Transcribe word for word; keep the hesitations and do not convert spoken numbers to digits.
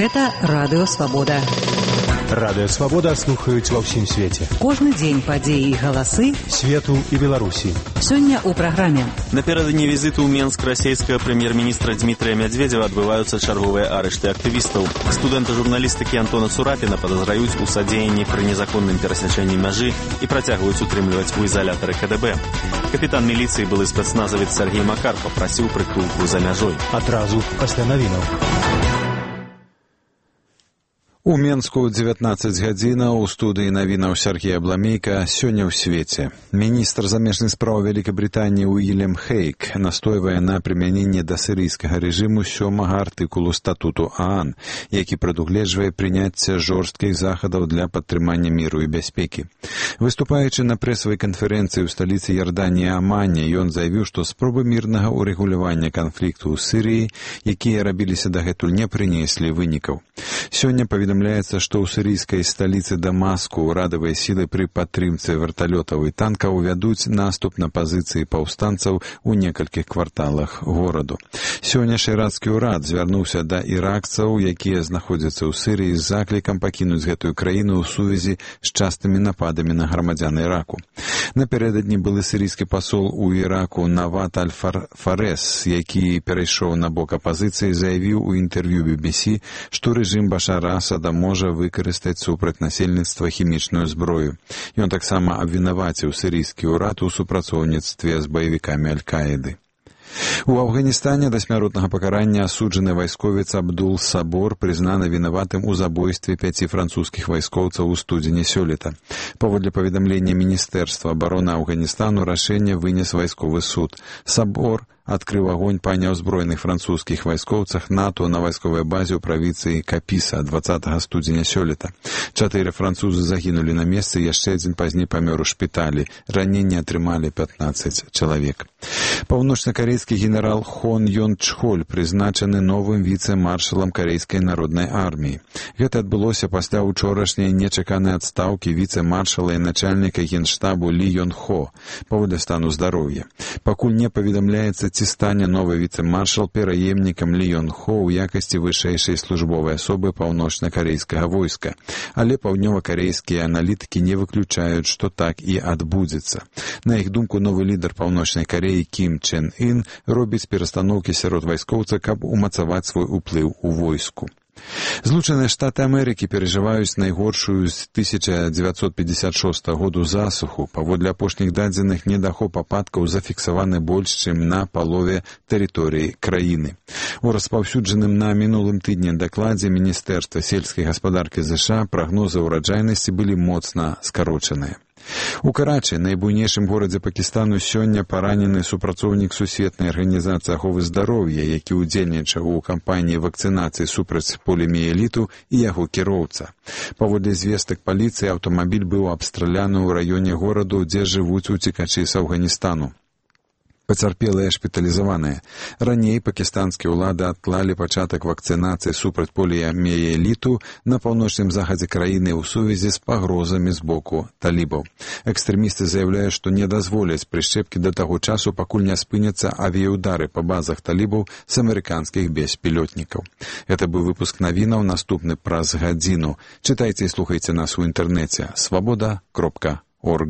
Гэта Радыё Свабода. Радыё Свабода слухаюць ва ўсім свеце. Кожны дзень падзеі і галасы свету і Беларусі. Сёння ў праграме. Напярэдадні візіту ў Менск расійскага прэм'ер-міністра Дмітрия Медведева адбываюцца чарговыя арышты актывістаў. Студэнта журналістыкі Антона Цурапіна падазраюць у садзеянні пры незаконным перасячэнні мяжы і працягваюць утрымліваць у ізалятары ка дэ бэ. Капітан міліцыі, былы спецназавец Сергей Макар, папрасіў прытулку за мяжой. Адразу пасля навінаў. У Менску дзевятнаццаць гадзінаў, у студыі навінаў Сергей Абламейка. Сёння ў свеце. Міністр замежных спраў Вялікабрытаніі Уільям Хейк настойвае на прымяненне да сірыйскага рэжыму сёмага артыкулу статуту ААН, які прадугледжвае прыняцце жорсткіх захадаў для падтрымання міру і бяспекі. Выступаючы на прэсавай канферэнцыі ў сталіцы Ярданіі Амане, ён заявіў, што спробы мірнага ўрэгулявання канфлікту ў Сірыі, якія рабіліся дагэтуль, не прынеслі вынікаў. Сёння паведамляецца, што ў сірыйскай сталіцы Дамаску ўрадавыя сілы пры падтрымцы верталётаў і танкаў вядуць наступ на пазіцыі паўстанцаў у некалькіх кварталах гораду. Сёння шырацкі ўрад звярнуўся да іракцаў, якія знаходзяцца ў Сірыі, з заклікам пакінуць гэтую краіну ў сувязі з частымі нападамі на грамадзян Іраку. Напярэдадні былы сірыйскі пасол у Іраку Нават Аль-Фарес, які перайшоў на бок апазіцыі, заявіў у інтэрв'ю би би сі, што рэжым Башара Асада можа выкарыстаць супраць насельніцтва хімічную зброю. Ён таксама абвінаваціў сірыйскі ўрад у супрацоўніцтве з баевікамі Аль-Каіды. У Афганістане да смяротнага пакарання асуджаны вайсковец Абдул Сабор прызнаны вінаватым у забойстве пяці французскіх вайскоўцаў у студзені сёлета. Паводле паведамлення Міністэрства абароны Афганістану, рашэнне вынес вайсковы суд. Сабор адкрыў агонь па няўзброеных французскіх вайскоўцах НАТО на вайсковай базе ў правінцыі Капіса дваццатага студзеня сёлета. Чатыры французы загінулі на месцы, яшчэ адзін пазней памёр у шпіталі. Раненні атрымалі пятнаццаць чалавек. Паўночнакарэйскі генерал Хон Ён Чхоль прызначаны новым віцэ-маршалам карэйскай народнай арміі. Гэта адбылося пасля ўчорашняй нечаканай адстаўкі віцэ-маршала і начальніка генштабу Лі Ён Хо паводле стану здароўя. Пакуль не паведамляецца, ці стане новы віцэ-маршал пераемнікам Лі Ён Хо ў якасці вышэйшай службовай асобы паўночнакарэйскага войска. Але паўднёвакарэйскія аналітыкі не выключаюць, што так і адбудзецца. На іх думку, новы лідар Паўночнай Карэі Кім Чен Ін робіць перастаноўкі сярод вайскоўцаў, каб умацаваць свой уплыў у войску. Злучаныя Штаты Амерыкі перажываюць найгоршую з тысяча дзевяцьсот пятьдесят шостага году засуху. Паводле апошніх дадзеных, недахоп ападкаў зафіксаваны больш, чым на палове тэрыторыі краіны. У распаўсюджаным на мінулым тыдні дакладзе Міністэрства сельскай гаспадаркі ЗША прагнозы ўраджайнасці былі моцна скарочаныя. У Карачы, найбуйнейшым горадзе Пакістану, сёння паранены супрацоўнік Сусветнай арганізацыі аховы здароўя, які ўдзельнічаў у кампаніі вакцынацыі супраць поліміеліту, і яго кіроўца. Паводле звестак паліцыі, аўтамабіль быў абстраляны ў раёне гораду, дзе жывуць уцекачы з Афганістану. Пацярпелыя шпіталізаваныя. Раней пакістанскія ўлады адклалі пачатак вакцынацыі супраць поліяміеліту на паўночным захадзе краіны ў сувязі з пагрозамі з боку талібаў. Экстрэмісты заяўляюць, што не дазволяць прышчэпкі да таго часу, пакуль не спыняцца авіяўдары па базах талібаў з амерыканскіх беспілётнікаў. Гэта быў выпуск навінаў, наступны праз гадзіну. Чытайце і слухайце нас у інтэрнэце свабода кропка орг.